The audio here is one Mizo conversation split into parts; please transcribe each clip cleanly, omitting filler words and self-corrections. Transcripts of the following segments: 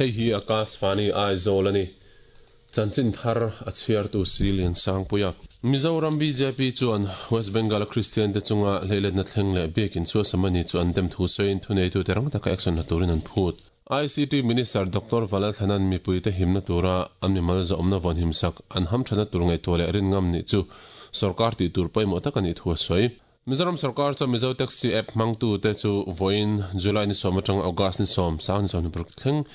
Hei hi Akashvani Aizawl a ni. Chanchin thar a chhiartu si Liansangpuia. Mizoram bjp chuan West Bengal-a Kristian te chunga hleiletna thleng leh biakin suasam a ni chu an dem thu sawiin thuneitute rang taka action la turin an phut. ICT Minister Doctor Valalthanan mipuite himna tura an mimal zawhawmna vawnhim sak an hamthatna tur ngaihtuah leh rin ngam nih chu sorkar tih tur pawimawh tak a nih thu a sawi. Mizoram sorkar chuan Mizo Taxi app hmangtute chu vawiin July ni sawm atanga August ni sawm, sang ni sawmhnih paruk thleng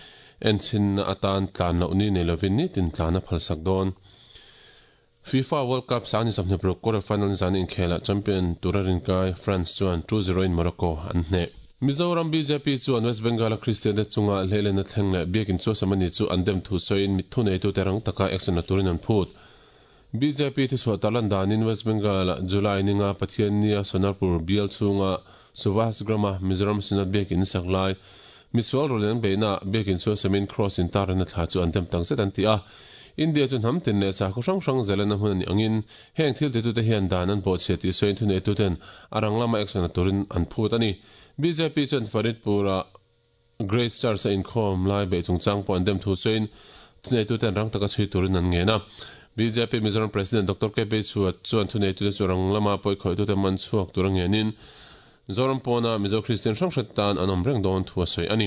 enchhinna atan tlan loh ni nei lovin nitin tlan a phalsak dawn. FIFA World Cup sang ni 26 quarter final nizan inkhelah champion tura rinkai France chuan 2-0 in Morocco an hneh. Mizoram bjp chuan West Bengal-a Kristian te chunga hleilenna thleng leh biakin chuasam a ni chu an dem thu sawiin mit thuneitute rang taka action la turin an phut. Bjp thuchhuah tarlan danin West Bengal-ah July ninga Pathiannia Sonarpur bial chhunga Suvasgram-a Mizoram Synod biakin sak lai misual rawleng beihnaah biakin suasamin Cross intarna thla chu an dem tak zet an ti a. India chu hnam tin leh sakhaw hrang hrang zelena hmun a nih angin heng thil titute hian dan an bawhchhiah tih sawiin thuneituten a rang lama action la turin an phut a ni. Bjp chuan Faridpur-ah Grace Church a inkhawm lai beih chungchang pawh an dem thu sawiin thuneituten rang taka chhui turin an ngen a. Bjp Mizoram President Doctor KP Chhuat chuan thuneitute chu rang lama pawikhawitute man chhuak tura ngenin Zoram pawna Mizo Kristian hrang hret tan an awm reng dawn thu a sawi a ni.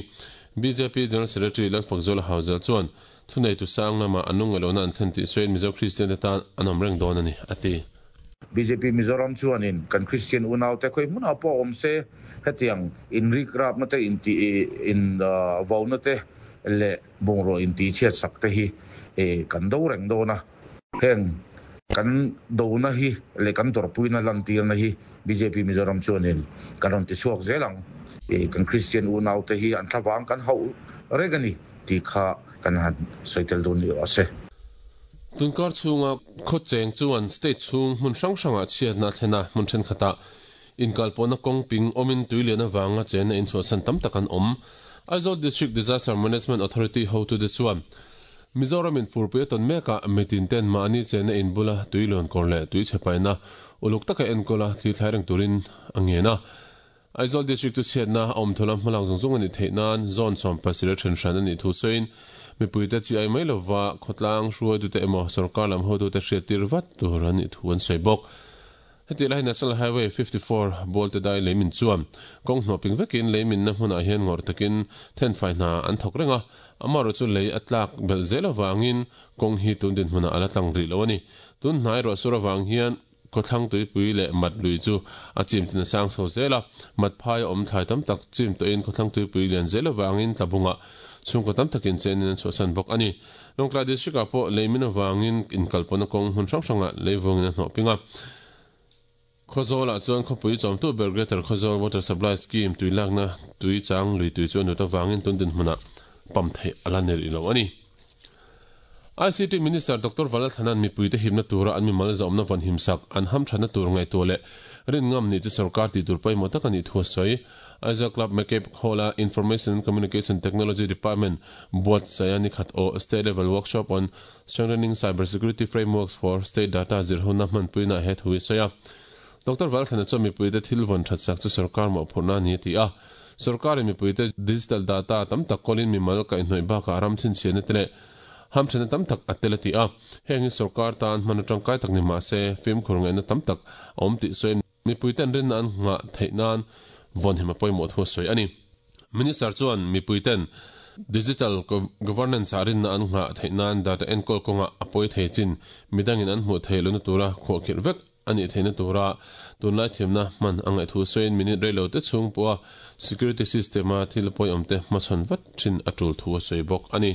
Bjp General Secretary Lalfakzuala Hauzel chuan thuneitu sang lama an lungngaihlohna an thlen tih sawiin Mizo Kristian te tan an awm reng dawn a ni, a ti. Bjp Mizoram chuanin kan Kristian unaute khawi hmunah pawh awm se hetiang inrikrapna te, intih in vauna te leh bungraw intihchhiat sak te hi kan do reng dawn a. Heng kan dona hi leh kan dawrpuina lantirna hi bjp Mizoram chuanin kan rawn tichhuak zel ang. Kan Kristian unaute hi an thlavang kan hauh reng a ni tih kha kan han sawi tel dawn ni rawh se. Tunkar chhunga khaw cheng chuan state chhung hmun hrang hrangah chhiatna a thlen a, hmun thenkhatah Inkalpawhna kawng ping awmin tui lian avanga chenna inchhuahsan tam tak an awm. Aizawl District Disaster Management Authority hotute chuan Mizoramin furpui a tawn mekah mitin ten mahni chenna in bula tui luan kawr leh tui chhe paihna uluk taka enkawl a thil thlai reng turin a ngen a. Aizawl District chu chhiatna a awm thawla hmalak zung zung a nih theih nan zone 70 a then hran a nih thu sawiin mipuite chi ai mai lova khawtlang hruaitute emaw sorkar lam hotute hriattir vat tur a nih thu an sawi bawk. Heti lai National Highway 54 Bualte dai leimin chuan kawng hnawh ping vekin leiminna hmunah hian ngawrh takin thenfai hna an thawk reng a, amaherawh chu lei a tlak belh zel avangin kawng hi tun dinhmunah a la tlang rih lo a ni. Tun hnai ruahsur avang hian khawthlang tuipui leh mat lui chu a chim chin a sang chho zel a, mat phai a awm thlai tam tak chim tawhin khawthlang tuipui lian zel avangin tlabungah chhungkaw tam takin chenin an chhuahsan bawk a ni. Lawngtlai District-ah pawh leimin avangin inkalpawhna kawng hmun hrang hrangah leivungin a hnawh ping a. Khawzawlah chuan khawpui chawmtu ber Greater Khawzawl Water Supply Scheme tui lakna tui chang lui tui chu a nut avangin tun dinhmunah pump theih a la ni rih lo a ni. ICT Minister Doctor Valalthanan mipuite himna tura an mimal zawmna vawnhim sak an hamthatna tur ngaihtuah leh rin ngam nih chu sorkar tih tur pawimawh tak a nih thu a sawi. Aizawl Club McCabe Hall-a Information and Communication Technology Department buatsaih a nikhat aw State Level Workshop on Strengthening Cyber Security Frameworks for State Data zirhona hmanpuinaah he thu hi a sawi a. Doctor Valthlana chuan mipuite thil vawn that sak chu sorkar mawhphurhna a ni a ti a. Sorkarin mipuite digital data tam tak kawlin mimal kaihhnawih bakah ram chhinchhiahna te leh hamthatna tam tak a tel a ti a. Heng hi sorkar tan hman atangkai tak ni mah se fimkhur ngaihna tam tak a awm tih sawiin Mipuiten rinna an nghah theih nan vawnhim a pawimawh thu a sawi a ni. Minister chuan mipuiten digital governance-ah rinna an nghah theih nan data enkawl kawngah a pawi thei chin midangin an hmuh theih lohna tura khuahkhirh vek a nih theihna tura tunlai thiamna hman a ngaih thu sawiin minute reilo te chhung pawha security system-a thil pawiawmte hmachhawn vat thin a tul thu a sawi bawk a ni.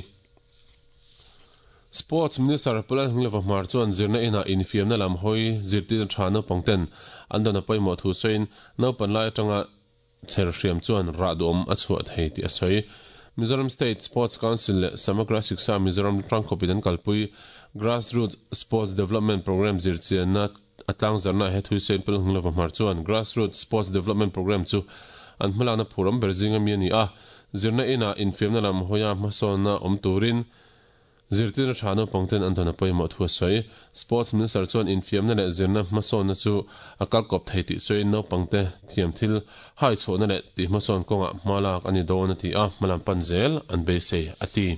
Sports Minister Pulal Hngleva Hmar chuan zirna inah infiamna lam hawi zirtirna tha naupang ten an dawn a pawimawh thu sawiin naupan lai atanga chher hriam chuan rah duhawm a chhuah thei tih a sawi. Mizoram State Sports Council leh Samagra Shiksha Mizoram tangkhawpin an kalpui Grassroots Sports Development Programme zirchianna a tlangzarhnaah he thui sawiin Pulal Hngleva Hmar chuan Grassroots Sports Development Programme chu an hmalakna phurawm ber zinga mi a ni a, zirna inah infiamna lam hawia hmasawnna awm turin. Zirtirna tha naupangten an dawn a pawimawh thu a sawi. Sports Minister chuan infiamna leh zirna hmasawnna chu a kalkawp thei tih sawiin naupangte thiam thil hai chhuahna leh tih hmasawn kawngah hma lak a ni dawn a ti a, hmalam pan zel an beisei a ti.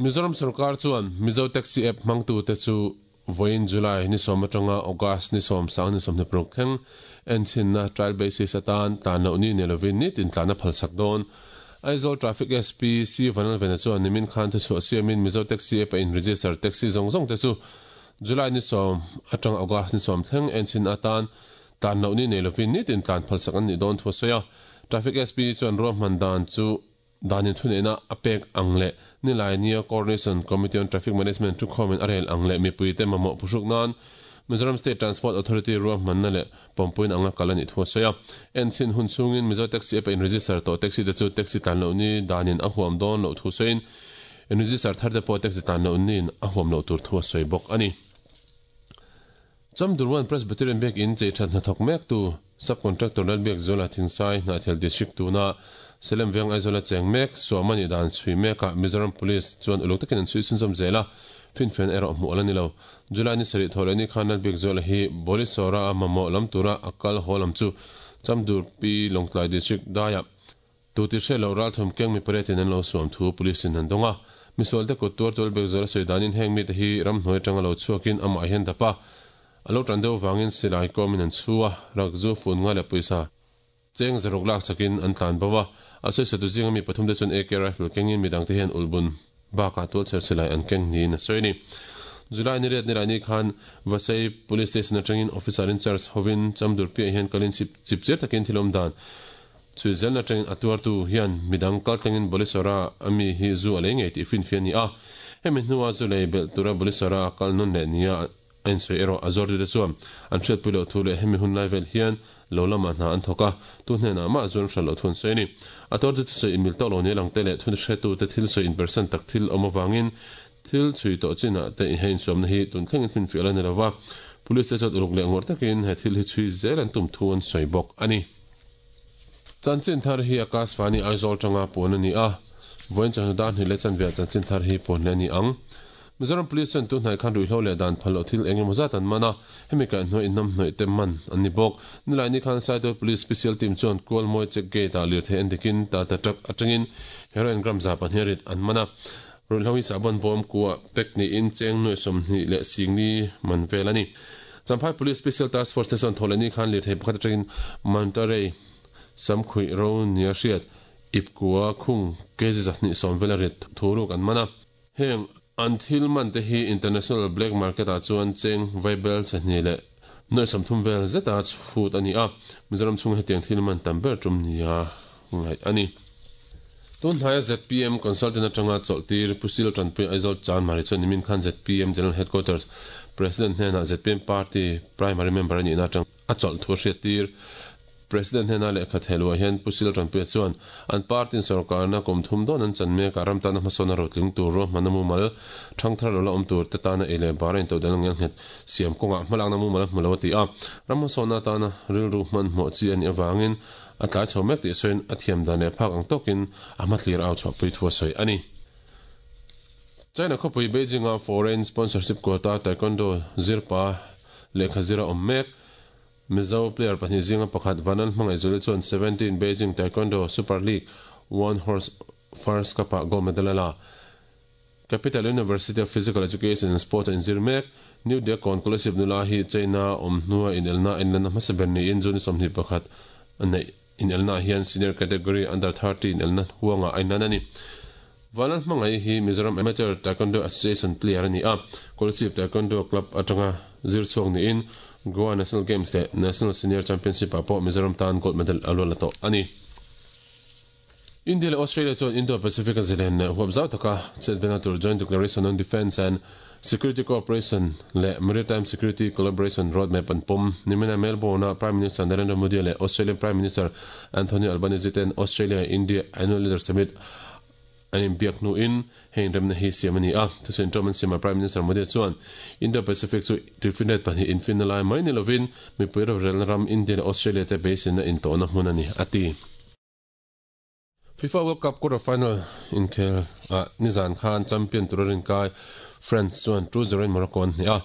Mizoram sorkar chuan Mizo Taxi App hmangtute chu vawiin July ni sawm atanga August ni sawm sang ni 26 thleng enchhinna trial basis atan tlan loh ni nei lovin nitin tlan a phalsak dawn. Aizawl Traffic SP C Vanlalvena chuan nimin khan thuchhuah siamin Mizo Taxi App a in register taxi zawng zawng te chu July ni sawm atanga August ni sawm thleng enchhinna atan tlan loh ni nei lovin nitin tlan phalsak an nih dawn thu a sawi a. Traffic SP chuan ruahman dan chu Danin thuneihna a pek ang leh nilai nia Coordination Committee on Traffic Management thukhawmin a rel ang leh mipuite mamawh phuhruk nan Mizoram State Transport Authority ruahmanna leh pawmpuiin anga kal a nih thu a sawi a. Enchhin hun chhungin Mizo Taxi App a in-register tawh taxi te chu taxi tlan loh ni danin a huam dawn loh thu sawiin in-register thar te pawh taxi tlan loh niin a huam loh tur thu a sawi bawk a ni. Chamdurwan Presbyterian Biakin chei that hnathawk mektu Sub-Contractor Lalbiakzuala Thingsai Hnahthial District tuna Salem Veng Aizawla cheng mek Suama nih dan chhui mekah Mizoram Police chuan uluk takin an chhui chhunzawm zel a, finfian erawh hmuh a la ni lo. July ni sarih thawh leh ni khan Lalbiakzuala hi Bolisawra a mamawh lam tura a kal haw lam chu Chamdurpi Lawngtlai District daiah Tu ti hre lo ralthawm keng mi pariatin an lo suam thu Police in an dawng a. Misualte kut tuar tual bek zual a sawi danin heng mite hi ramhnuai atanga lo chhuakin amah hian dap a. A lo tan deuh vangin silai kawmin an chhu a, rakzu fun nga leh pawisa cheng zaruk lak chakin an tlan bo a. A sawisatu zinga mi pathum te chuan AK rifle kengin midangte hian ulhbun bakah tualchher silai an keng niin a sawi a ni. July ni riat nilai ni khan Vasai Police Station atangin Officer in charge hovin Chamdur piah hian kalin chip chipchiar takin thil awm dan Chhui zelna atangin a tuartu hian midang kaltlangin Bolisora a mi hi zu a lei ngei tih finfiah a ni a. Hemi hnua zu lei belh tura Bolisora a kal nawn leh nia a insawi erawh a zawrtute chuan an hriatpui loh thu leh hemi hun lai vel hian lo lamah hna an thawk a, tu hnenah mah zu an hral loh thu an sawi a ni. A tuartute sawi inmil tawk lo nia langte leh thunhretute thil sawi inpersan tak thil awm avangin thil chhui tawh chinah te he insuamna hi tun thlengin finfiah la ni lova, Police te chuan uluk leh ngawrh takin he thil hi chhui zel an tum thu an sawi bawk a ni. Chanchin thar hi Akashvani Aizawl tanga puan a ni a, vawiin chawhnu dar hnih leh chanve ah chanchin thar hi puan leh a ni ang. Mizoram Police chuan tunhnai khan ruihhlo leh dan phal loh thil eng emaw zat an man a, hemi kaihhnuai inhnamhnawih te man an ni bawk. Nilaini khan Saitual Police Special Team chuan Kualmawi Check Gate ah lirthei en dikin Tata Truck atangin Heroin gram 200 rit an man a. Ruihhlo hi sahbawn bawm kua pack niin cheng nuai 20 leh singli man vel a ni. Champhai Police Special Task Force te chuan thawhlehni khan lirthei pakhat atangin Mantarei samkhuih ro nia hriat ip kua khung kg 270 vel a rit thu ruk an man a. Heng an thil man te hi International Black Market ah chuan cheng vaibel chahnih leh nuai 30 vel zeta chhut a ni a, Mizoram chhunga hetiang thil man tam ber tum nia ngaih a ni. Tun hnaia zpm consultant atanga chawlhtir Pu Sil Tanpui Aizawl Chanmari chuan nimin khan zpm General Headquarters President hnenah zpm party primary member a nihna atang a chawlh thu a hriattir. President hnena lehkha theluah hian Pu Sil Tanpuia chuan an party in sorkarna kum thum dawn an chan mekah ram tana hmasawn a rotling tur ruahmanna mumal thangthar lo la awm tur te tana ei leh bar a intodelh ngel nghet siam kawngah hmalakna mumal a hmu lo a ti a. Ram hmasawnna atana rilru hmanhmawh chi a nih avangin A tlai chho mek tih sawiin a thiam dan leh phak ang tawkin a hmathlir au chhuahpui thu a sawi a ni. China khawpui Beijing-a foreign sponsorship quota taekwondo zirpa lehkha zir a awm mek. Mizo player pahnih zinga pakhat Vanan Hmangaihzuli chuan 17 Beijing Taekwondo Super League One Horse First Cup-ah gold medal a la. Capital University of Physical Education and Sports a inzir mek. New Diakon Scholarship nula hi China awm hnua inelna a inlanna hmasa ber niin June 21 a neih inelnaah hian Senior Category Under 30 inelna huangah a inlan a ni. Vanlal Hmangaih hi Mizoram Amateur Taekwondo Association player a ni a, Kolasib Taekwondo Club atanga zir chhuak niin Goa National Games leh National Senior Championship ah pawh Mizoram tan gold medal a luah la tawh a ni. India leh Australia chuan Indo-Pacific a zalen leh huap zau taka chetvelna tur Joint Declaration on Defence and Security Cooperation leh Maritime Security Collaboration Roadmap an pawm. Nimina Melbourne-a Prime Minister Narendra Modi leh Australian Prime Minister Anthony Albanese ten Australia-India Annual Leaders Summit an inbiak hnuin heng remna hi siam a ni a. Thusawi inṭawm an siamah Prime Minister Modi chuan Indo-Pacific chu tuifinriat pahnih infinna lai mai ni lovin mipui rorelna ram India leh Australia te beiseina intawhna hmun a ni, a ti. FIFA World Cup quarter final inkhel ah nizan khan champion tura rinkai France chuan 2-0 in Morocco an hneh a,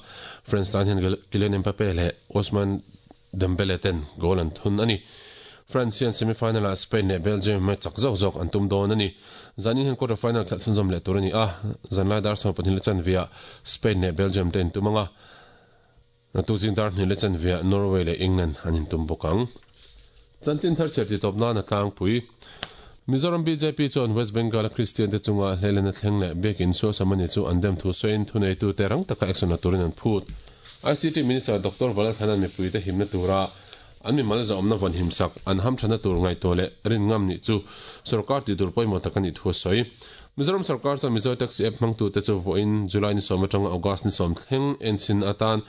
France tan hian Kylian Mbappe leh Ousmane Dembele ten goal an thun a ni. France hian semi-final ah Spain leh Belgium match chak zawk zawk an tum dawn a ni. Zanin hian quarter final khelh chhunzawm leh tur a ni a, zanlai dar 12 leh chanve ah Spain leh Belgium te intum ang a, tu zing dar hnih leh chanve ah Norway leh England an intum bawk ang. Chanchin thar chhiar titawp nan a tlangpui. Mizoram bjp chuan West Bengal a Kristian te chunga hlelena thleng leh biakin suasam a ni chu an dem thu sawiin thuneitute rang taka action la turin an phut. ICT Minister Doctor Valalthana'n mipuite himna tura an mimal zahawmna vawn himsak an hamthana tur ngaihtuah leh rin ngam nih chu sorkar tih tur pawimawh tak a nih thu a sawi. Mizoram sorkar chuan Mizo Taxi App hmangtute chu vawiin July ni sawm atanga August ni sawm thleng enchhin atan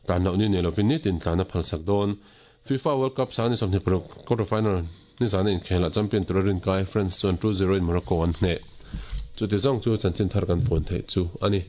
tlan loh ni nei lovin nitin tlan a phalsak dawn. FIFA World Cup sang ni 26 quarter final nizana inkhelah champion tura rinkai France chuan 2-0 in Morocco an hneh. Chuti zawng chu chanchin thar kan puan theih chu a ni.